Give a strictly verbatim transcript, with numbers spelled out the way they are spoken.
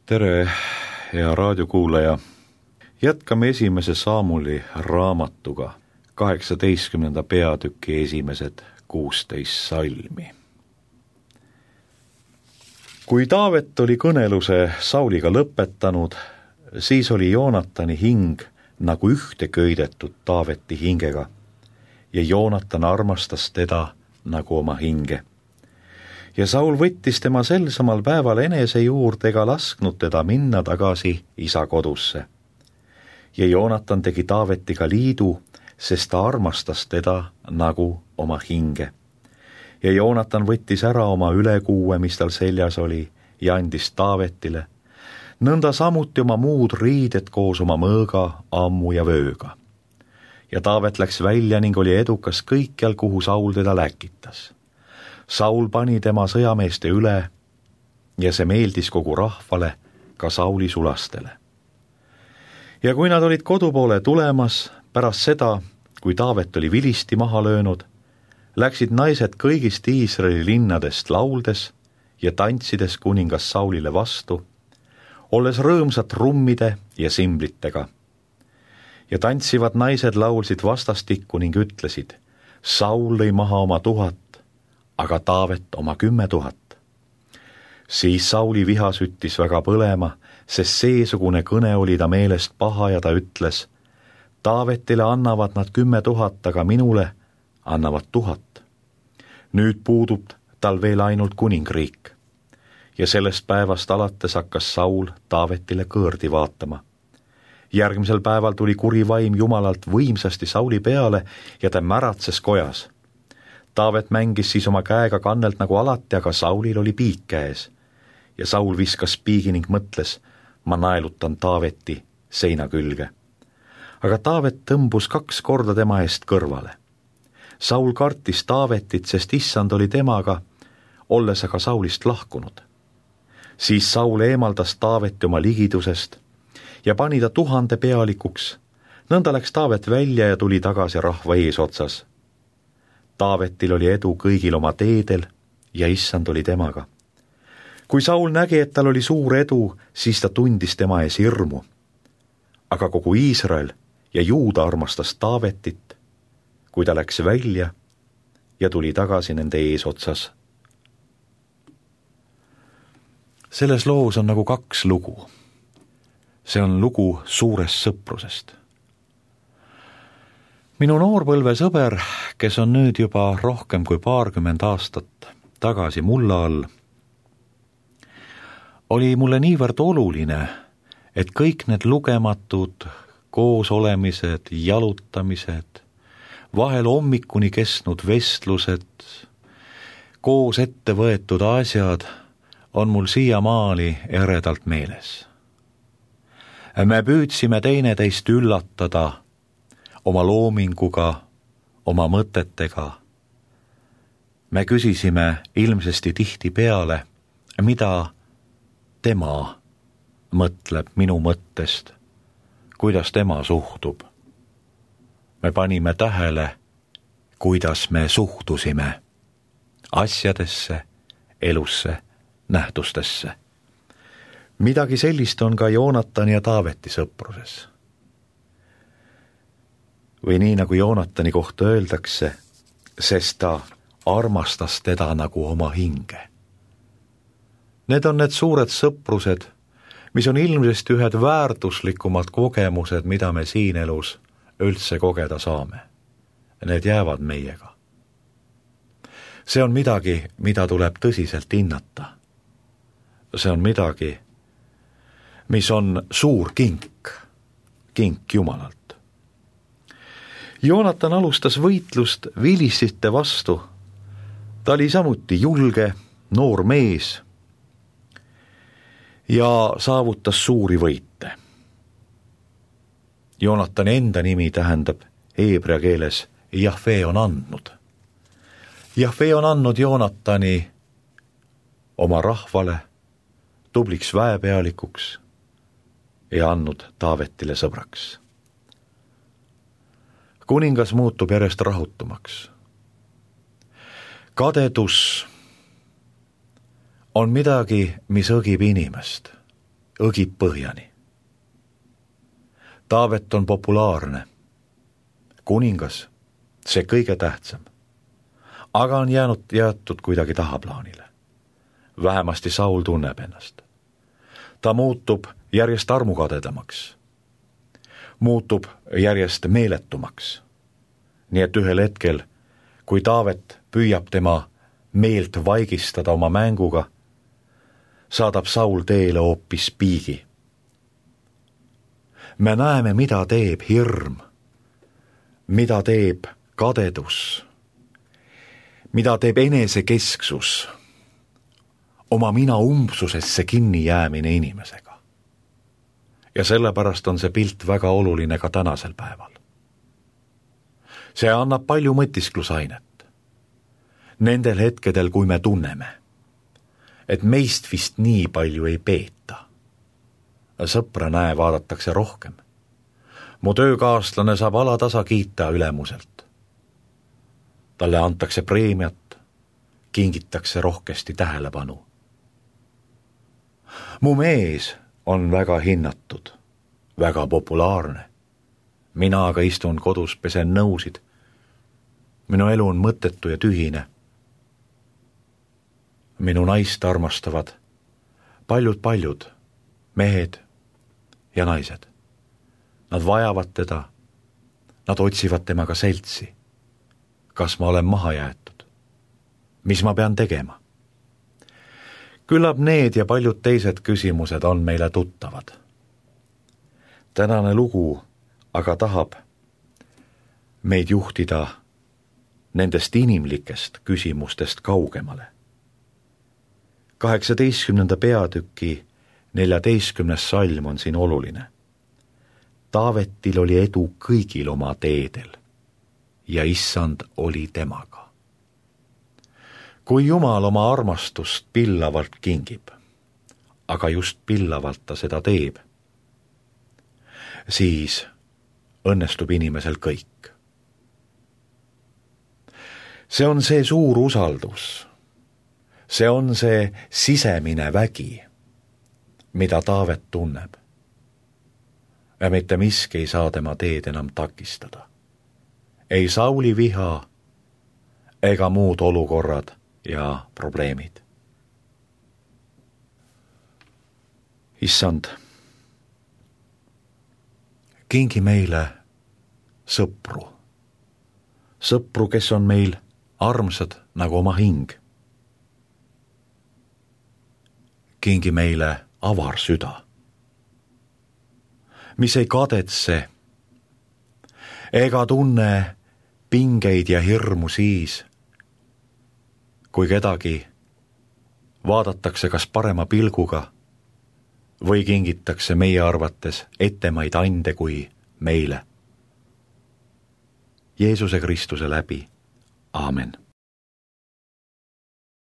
Tere, hea raadiokuulaja. Jätkame esimese Saamuli raamatuga kaheksateistkümnenda peatüki esimesed kuusteist salmi. Kui Taavet oli kõneluse Sauliga lõpetanud, siis oli Joonatani hing nagu ühte köidetud Taaveti hingega ja Joonatan armastas teda nagu oma hinge. Ja Saul võttis tema sel samal päeval enese juurde ega lasknud teda minna tagasi isa kodusse. Ja Joonatan tegi Taavetiga liidu, sest ta armastas teda nagu oma hinge. Ja Joonatan võttis ära oma ülekuue, mis tal seljas oli, ja andis Taavetile, nõnda samuti oma muud riided koos oma mõõga, ammu ja vööga. Ja Taavet läks välja ning oli edukas kõikjal, kuhu Saul teda läkitas. Saul pani tema sõjameeste üle ja see meeldis kogu rahvale, ka Sauli sulastele. Ja kui nad olid kodu poole tulemas, pärast seda, kui Taavet oli vilisti maha löönud, läksid naised kõigist Iisraeli linnadest lauldes ja tantsides kuningas Saulile vastu, olles rõõmsad trummide ja simblitega. Ja tantsivad naised laulsid vastastikku ning ütlesid, Saul lõi maha oma tuhat, aga Taavet oma kümme tuhat. Siis Sauli viha süttis väga põlema, sest seesugune kõne oli ta meelest paha ja ta ütles, Taavetile annavad nad kümme tuhat, aga minule annavad tuhat. Nüüd puudub tal veel ainult kuningriik. Ja sellest päevast alates hakkas Saul Taavetile kõõrdi vaatama. Järgmisel päeval tuli kuri vaim Jumalalt võimsasti Sauli peale ja ta märatses kojas. Taavet mängis siis oma käega kannelt nagu alati, aga Saulil oli piik käes. Ja Saul viskas piigi ning mõtles, ma naelutan Taaveti seina külge. Aga Taavet tõmbus kaks korda tema eest kõrvale. Saul kartis Taavetit, sest issand oli temaga, olles aga Saulist lahkunud. Siis Saul eemaldas Taaveti oma ligidusest ja pani ta tuhande pealikuks. Nõnda läks Taavet välja ja tuli tagasi rahva eesotsas. Taavetil oli edu kõigil oma teedel ja issand oli temaga. Kui Saul nägi, et tal oli suur edu, siis ta tundis tema ees hirmu. Aga kogu Iisrael ja Juuda armastas Taavetit, kui ta läks välja ja tuli tagasi nende eesotsas. Selles loos on nagu kaks lugu. See on lugu suurest sõprusest. Minu noorpõlve sõber, kes on nüüd juba rohkem kui paarkümmend aastat tagasi mulla all, oli mulle niivõrd oluline, et kõik need lugematud koosolemised, jalutamised, vahel hommikuni kestnud vestlused, koos ette võetud asjad on mul siiamaani eredalt meeles. Me püüdsime teineteist üllatada oma loominguga, oma mõtetega. Me küsisime ilmsesti tihti peale, mida tema mõtleb minu mõttest, kuidas tema suhtub. Me panime tähele, kuidas me suhtusime asjadesse, elusse, nähtustesse. Midagi sellist on ka Joonatani ja Taaveti sõpruses. Või nii nagu Joonatani kohta öeldakse, sest ta armastas teda nagu oma hinge. Need on need suured sõprused, mis on ilmsesti ühed väärtuslikumad kogemused, mida me siin elus üldse kogeda saame. Need jäävad meiega. See on midagi, mida tuleb tõsiselt hinnata. See on midagi, mis on suur kink, kink Jumalalt. Joonatan alustas võitlust vilistite vastu. Ta oli samuti julge, noor mees ja saavutas suuri võite. Joonatani enda nimi tähendab heebrea keeles Jahve on andnud. Jahve on andnud Joonatani oma rahvale, tubliks väepealikuks ja andnud Taavetile sõbraks. Kuningas muutub järjest rahutumaks. Kadedus on midagi, mis õgib inimest. õgib põhjani. Taavet on populaarne, kuningas, see kõige tähtsam, aga on jäänud jäetud kuidagi tahaplaanile. Vähemasti Saul tunneb ennast. Ta muutub järjest armukadedamaks, muutub järjest meeletumaks. Nii et ühel hetkel, kui Taavet püüab tema meelt vaigistada oma mänguga, saadab Saul teele hoopis piigi. Me näeme, mida teeb hirm, mida teeb kadedus, mida teeb enesekesksus, oma mina umbsusesse kinni jäämine inimesega. Ja sellepärast on see pilt väga oluline ka tänasel päeval. See annab palju mõtisklusainet. Nendel hetkedel, kui me tunneme, et meist vist nii palju ei peeta. Sõpra näe, vaadatakse rohkem. Mu töökaaslane saab alatasa kiita ülemuselt. Talle antakse preemiat, kingitakse rohkesti tähelepanu. Mu mees on väga hinnatud, väga populaarne. Mina aga istun kodus, pesen nõusid. Minu elu on mõttetu ja tühine. Minu naist armastavad paljud-paljud mehed ja naised. Nad vajavad teda, nad otsivad temaga seltsi. Kas ma olen maha jäetud? Mis ma pean tegema? Küllap need ja paljud teised küsimused on meile tuttavad. Tänane lugu aga tahab meid juhtida nendest inimlikest küsimustest kaugemale. kaheksateistkümnenda peatüki neljateistkümnes salm on siin oluline. Taavetil oli edu kõigil oma teedel ja issand oli temaga. Kui Jumal oma armastust pillavalt kingib, aga just pillavalt ta seda teeb, siis õnnestub inimesel kõik. See on see suur usaldus, see on see sisemine vägi, mida Taavet tunneb. Ja mitte miski ei saa tema teed enam takistada. Ei Sauli viha ega muud olukorrad ja probleemid. Issand, kingi meile sõpru. Sõpru, kes on meil armsad nagu oma hing. Kingi meile avar süda, mis ei kadetse ega tunne pingeid ja hirmu siis, kui kedagi vaadatakse kas parema pilguga või kingitakse meie arvates ettemaid ande kui meile. Jeesuse Kristuse läbi. Aamen.